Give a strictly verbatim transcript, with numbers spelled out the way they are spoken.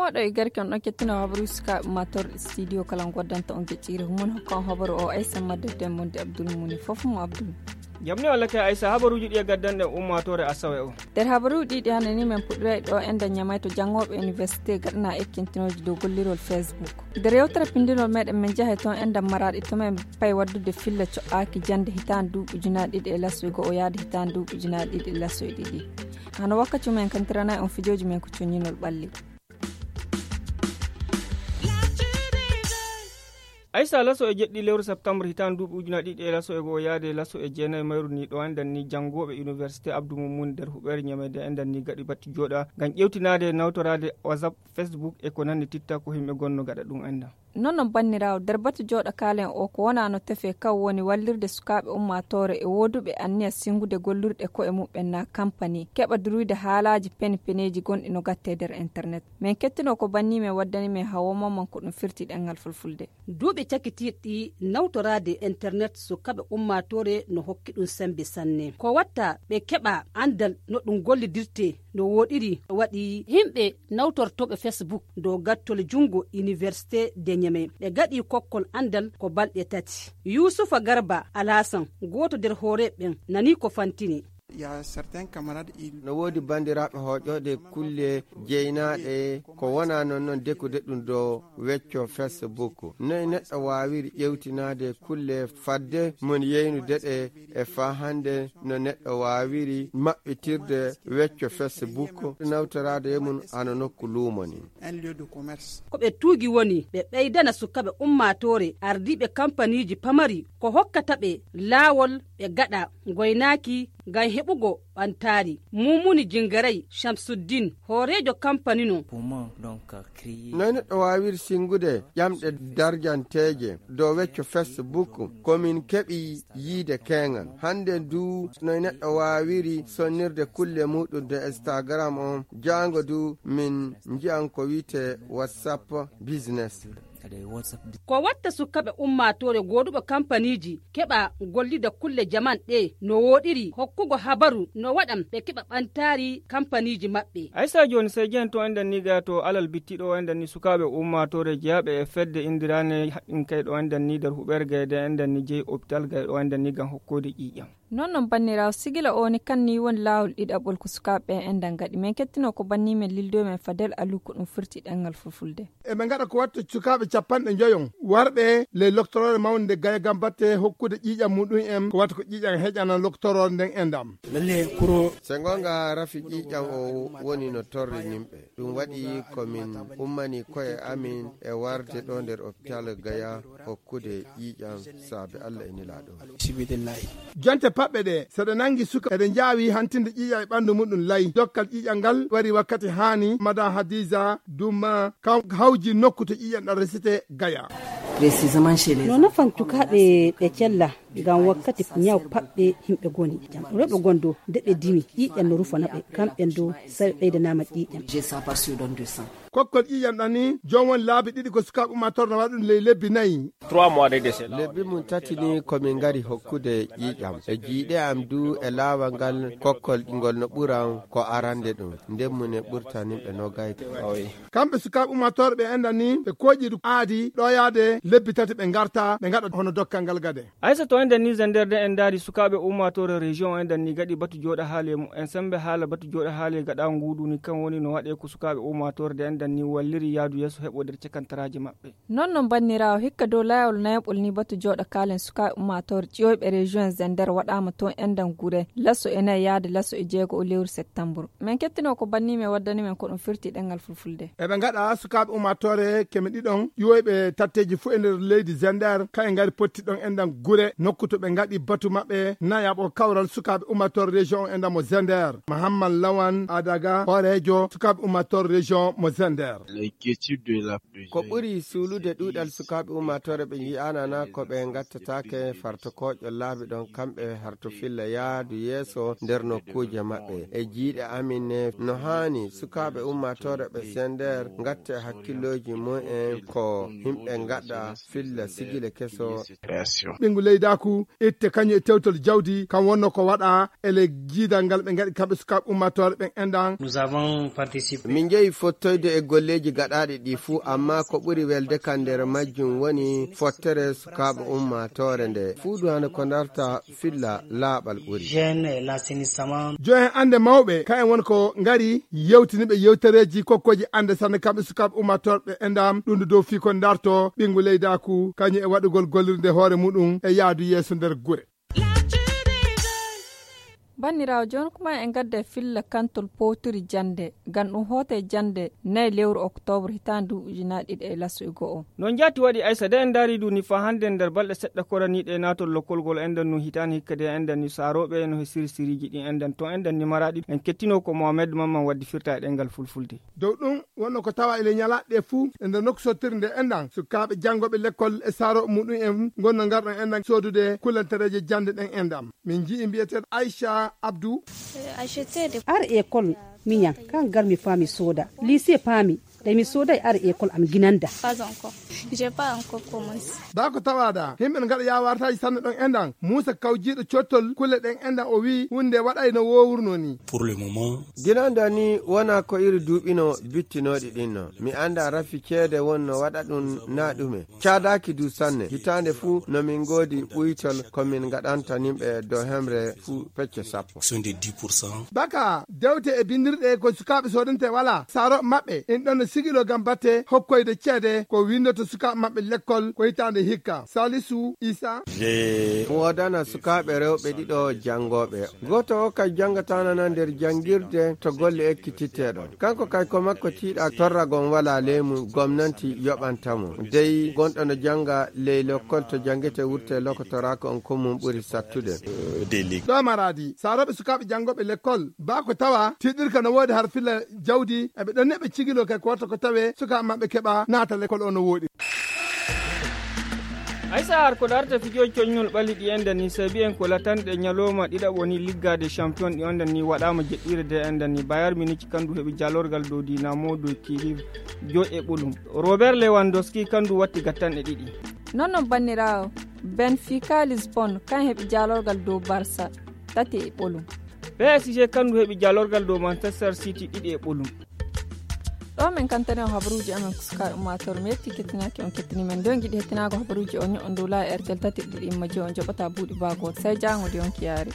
Oɗo e garke on ɗon kettino habaruuji sukaaɓe ummaatooɓe studio kala goddanta on gecciri humon hokka on habaru o aysa madde demmonde abdul muni fof mo abdul. Jamni walla kay aysa habaruuji ɗi e gaddanɗe ummaatoore asawe o. Nder habaruuji ɗiɗi hannde ni men puɗɗoyay ɗo enda ñamay to janngooɓe université gaɗana ekkintinooji dow gollirol facebook. Nder yewtere pinndinol meɗen men jahay toon enda maraaɗi to men pay waddude filla co'aaki jannde hitaande duuɓi ujunaaɗe ɗiɗi e lasoy go'o yaade hitaande duuɓi ujunaaɗe ɗiɗi e lasoy ɗiɗi. Hano wakkati men kantiranay on fijooji men ko coññinol ɓalli. Aysa laso e jeɗɗi lewru septembre hitaande duuɓi ujunaaɗe ɗiɗi e laso e go'o yaade laso e jeenayi mayru ni ɗo anndan ni janngooɓe université abdou mummun nder huɓeere ñamede endan ni gaɗi batti jooɗa ngam ƴewtinaade nawtoraade whatsapp, facebook e ko nanndi titta ko yimɓe gonno gaɗa ɗum endan. Non non banniraawo nder batu jooɗa kaalen o ko wonaa no tefee kaw woni wallirde sukaaɓe ummaatoore e wooduɓe anniya sinngude gollirɗe ko'e muɓɓen naa kampani keɓa duruyde haalaaji pene peneeji gonɗi no gattee nder internet. Men kettino ko banni men waddani men hawo momon ko ɗum firti ɗenngal fulfulde. Duuɓi cakitirɗi nawtoraade internet sukaaɓe ummaatoore no hokki ɗum semmbe sanne ko watta ɓe keɓa anndal no ɗum gollidirtee. No wooɗiri waɗi yimɓe nawtortooɓe facebook dow gattol junngo université de ñeme ɓe gaɗi kokkol anndal ko balɗe tati. Yuusufa garba alhasan gooto nder hooreeɓe ɓen nani ko fantini. No woodi banndiraaɓe hooƴooɗe kulle jeynaaɗe ko wonaa noon noon dekude ɗum dow wecco facebook. Noy neɗɗo waawiri ƴewtinaade kulle fadde mon yeynude ɗe e faa hannde no neɗɗo waawiri maɓɓitirde wecco facebook nawtoraade e mum hano nokku luumo ni. Ko ɓe tuugi woni ɓe ɓeydana sukaaɓe ummaatoore ardiiɓe kampaniiji pamari ko hokkata ɓe laawol ɓe gaɗa ngoynaaki ngam heɓugo ɓantaari. Mumuni jingaray shamsuddin hooreejo kampani no. Noy neɗɗo waawiri sinngude ƴamɗe darjanteeje dow wecco facebook ko min keɓi yiide keeŋan hannde du noy neɗɗo waawiri sonnirde kulle muɗum de instagram on jaango du min njiyan ko wi'etee whatsapp business. Ko watta sukaaɓe ummaatoore gooduɓe kampaniiji keɓa gollida kulle jaman ɗe no wooɗiri hokkugo habaru no waɗan ɓe keɓa ɓantaari kampaniiji maɓɓe. Aysa jooni sey jehen to enɗan ni gaya to alal bittiɗo o enɗan ni sukaaɓe ummaatoore jeyaaɓe e fedde inndiraane haɗɗinkay ɗo enɗan ni nder huɓeere gayde enɗan ni jeyi opital gay ɗo enɗan ni ngam hokkoyde ƴiiƴam. Non non banniraawo sigila o ni kan ni woni laawol ɗiɗaɓol ko sukaaɓe ɓen enɗan ngaɗi men kettino ko banni men lildoy men fadel alu ko ɗum firti ɗenngal fulfulde. Eɓe ngaɗa ko watta sukaaɓe capanɗe njoyon warɓe ley loktoroore mawnde nde gaya ngam batte hokkude ƴiiƴam muɗum en ko watta ko ƴiiƴam heƴana loktoroore nden enɗam. Lalle kuro. Se ngonga rafi ƴiiƴam o woni no torri yimɓe. Ɗum waɗi ko min ummani ko'e amin e warde ɗo nder opital gaya hokkude ƴiiƴam saabe allah e nilaaɗo. Jonte paɓɓe ɗe so ɗe nangi suka eɗe njaawi hantinde ƴiiƴam e ɓanndu muɗum lay dokkal ƴiiƴam ngal wari wakkati haani madame hadiza duma kan hawji nokku to ƴiiƴam ɗan resete gaya. No nafan cukaaɓe ɓe cella ngam wakkati ñaw paɓɓe yimɓe goni jam rewɓe gondo nde ɓe dimi ƴiiƴam no rufana ɓe kamɓen dow sawi ɓeydanaama ƴiiƴam. Kokkol ƴiiƴam ɗan ni joom won laabi ɗiɗi ko sukaaɓe ummator no waɗa ɗum ley lebbi nayi. Lebbi mum tati ni ko min ngari hokkude ƴiiƴam e jiiɗe am du e laawal ngal kokkol ngol no ɓuran ko arande ɗum nden mum e ɓurtaninɓe no gayde. Kamɓe sukaaɓe ummator ɓe enɗan ni ɓe kooƴi du aadi ɗo yaade lebbi tati ɓe ngarta ɓe ngaɗa hono dokkal ngal gade. Aysa to enɗan ni zender de en ndaari sukaaɓe ummator région enɗan ni gaɗi batu jooɗa haali e mumen sembe haala batu jooɗa haali e gaɗa nguuɗu ni kan woni no waɗe ko sukaaɓe ummator de enɗan ni walliri yaadu yeeso heɓo nder cakantaraaji maɓɓe. Non non banniraawo hikka dow laawol nayaɓol ni batu jooɗa kaalen sukaaɓe ummator ƴiwoyɓe région zender waɗaama toon enɗan gure laso e nayi yaade laso e jeego o lewru septembre. Men kettino ko banni men waddani men ko ɗum firti ɗenngal fulfulde. Eɓe ngaɗa sukaaɓe ummaatoore keme ɗiɗon ƴiwoyɓe tatteeji fof e nder leydi zender kaye ngari potti ɗon enɗan gure nokku to ɓe ngaɗi batu maɓɓe nayaɓo kawral sukaaɓe ummaatoore région on enɗan mo zender mahamman lawan adaga hooreejo sukaaɓe ummaatoore région mo zender. Ko ɓuri suulude ɗuuɗal sukaaɓe ummaatoore ɓe nji'aanana ko ɓe ngattataake fartokooƴo laabi ɗon kamɓe harto filla yaadu yeeso nder nokkuuje maɓɓe e jiiɗe amin ne no haani sukaaɓe ummaatoore ɓe sender ngatte hakkillooji mumen ko yimɓe ngaɗa filla sigile keso. Ɓinngu leydaako. nokku itte kañum e tewtol jawdi kam wonno ko waɗa e ley jiidal ngal ɓe ngaɗi kamɓe sukaaɓe ummaatoore ɓen enɗan. Min njehi fottoyde e golleeji gaɗaaɗi ɗi fuu, amma ko ɓuri welde kan nder majjum woni fottere sukaaɓe ummaatoore nde fuu duwaane ko ndarta filla laaɓal ɓuri. Johen annde mawɓe kayen won ko ngari yewtiniɓe yewtereeji kokkooji annde sanne kamɓe sukaaɓe ummaatoore ɓe enɗan ɗum dow fii ko ndarto ɓinngu leydaaku kañum e waɗugol gollirde hoore muɗum e yaadu yeeso nder gure. Banniraawo, jooni kuma en ngadda e filla kantol powtiri jannde ngam ɗum hoota e jannde nayi lewru oktoobre hitaande ndu ujunaaɗe ɗiɗi e laso e go'o. No njaati waɗi aysa de en ndaari ndu ni faa hannde nder balɗe seɗɗa koraniiɗe e naatol lokkolgol enɗan nu hitaande hikka de enɗan ni saarooɓe no he siri siriiji ɗin enɗan ton enɗan ni maraaɗi en kettinoo ko mohamed mamman waddi firta e ɗenngal fulfulde. Dow ɗum wonno ko tawa ele ñalaɗe fuu e nder nokku sottiri nde enɗan sukaaɓe janngooɓe lekkol e saarooɓe muɗum en ngonno ngarɗon enɗan soodude kullantereeje jannde ɗen enɗan. Min nji'i mbiyeteeɗo aicha abdou. Ar école miñan kan gar mi faami sooda lycée paami ɗay mi sooday ar école am ginanda. Baa ko tawaada himɓe no ngaɗa yaawartaaji sanne ɗon enɗan muusa kawjiiɗo cottol kulle ɗen enɗan o wi'i hunde waɗay no woowurno ni. Ginanda ni wona ko iri duuɓino bittinooɗi ɗinno mi annda rafi ceede wonno waɗa ɗum na ɗume. Caadaaki du sanne hitaande fuu no min ngoodi ɓuytol ko min ngaɗanta nimɓe dow hemre fuu pecce sappo. Baka dewte e binndirɗe ko sukaaɓe soodante wala saaro maɓɓe in ɗon no sigilo ngam batte hokkoyde ceede ko winndoto sukaaɓe maɓɓe lekkol ko hitaande hikka salisu isa. Wodana sukaaɓe rewɓe ɗiɗo janngooɓe gooto o kay janngatana na nder janngirde to golle ekkititteɗo kanko kay ko makko tiiɗa torragon wala leymu gomnanti yoɓanta mo dey gonɗo no jannga ley lokkol to janngete wurte lokotoraako on ko mum ɓuri sattude. Ɗo maraadi saarooɓe sukaaɓe janngooɓe lekkol baa ko tawa tiiɗirka no woodi har filla jawdi eɓe ɗon neɓe cigilo kay ko watta ko tawe sukaaɓe maɓɓe keɓa naata lekkol o no wooɗi. Aysa har ko darta fijooji coññol ɓalli ɗi enɗan ni sabi en ko latanɗe ñalooma ɗiɗaɓo ni liggaade champion ɗi onɗan ni waɗaama jeɗɗiire de enɗan ni bayar miniki kandu heɓi jalorgal dow dinamo dow kiriv joy e ɓolum. Robert lewandowski kandu watti gattanɗe ɗiɗi. Non non banniraawo benfica lisbon kan heɓi jalorgal dow barsa tati e ɓolum. Psg kandu heɓi jalorgal dow manchester city ɗiɗi e ɓolum. Ɗo min kantani on habaruuji amen ko sukaaɓe ummaatoore mi yetti kettinaaki on kettini men nden giɗi hettinaago habaruuji o ño'on dow laawi airtel tati ɗiɗi imma je on joɓata buuɗi baago sai jaango de on kiyaari.